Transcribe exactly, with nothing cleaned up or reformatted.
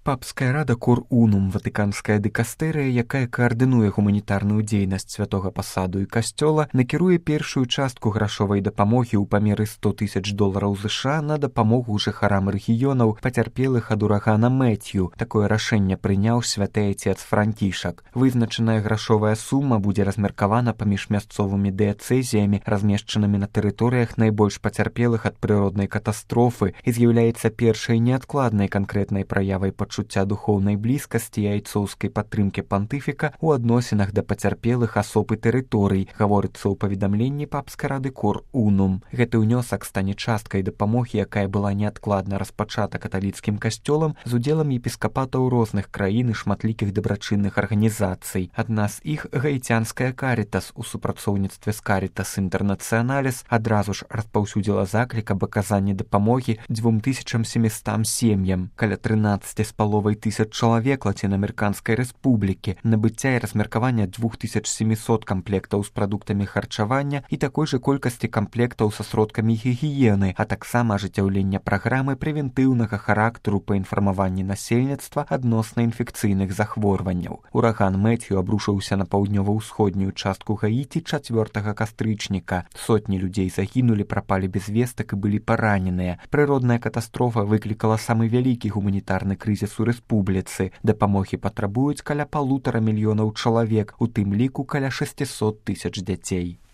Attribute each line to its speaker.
Speaker 1: Папская рада Кор Унум, ватыканская дыкастэрыя, якая каардынуе гуманітарную дзейнасць святога пасаду і касцёла, накіруе першую частку грашовай дапамогі ў памеры сто тысяч долараў ЗША на дапамогу жыхарам рэгіёнаў, пацярпелых ад урагана Мэцью. Такое рашэнне прыняў святы айцец Францішак. Вызначаная грашовая сума будзе размеркавана паміж мясцовымі дыяцэзіямі, размешчанымі на тэрыторыях найбольш пацярпелых ад прыроднай катастрофы, і з'яўляецца першай неадкладнай канкрэтнай праявай пачуцця духоўнай блізкасці і айцоўскай падтрымкі пантыфіка ў адносінах да пацярпелых асоб і тэрыторый, гаворыцца ў паведамленні папскай рады Кор Унум. Гэты ўнёсак стане часткай дапамогі, якая была неадкладна распачата каталіцкім касцёлам з удзелам епіскапатаў розных краін і шматлікіх дабрачынных арганізацый. Адна з іх гаіцянская Карітас у супрацоўніцтве з Карітас Інтэрнацыяналіс адразу ж распаўсюдзіла заклік аб аказанні дапамогі дзвюм тысячам семістам сем'ям, каля трынаццаць з паловай тысяч чалавек лацінаамерыканскай рэспублікі, набыцця і размеркавання двух тысяч семісот камплектаў з прадуктамі харчавання і такой жа колькасці камплектаў са сродкамі гігіены, а таксама ажыццяўлення праграмы прэвентыўнага характару па інфармаванні насельніцтва адносна інфекцыйных захворванняў. Ураган Мэцью абрушыўся на паўднёва-ўсходнюю частку Гаіці чацвёртага кастрычніка. Сотні людзей загінулі, прапалі без вестак і былі параненыя. Прыродная катастрофа выклікала самы вялікі гуманітарны крызіс у рэспубліцы. Дапамогі патрабуюць каля палутара мільёнаў чалавек, у тым ліку каля шэсцісот тысяч дзяцей.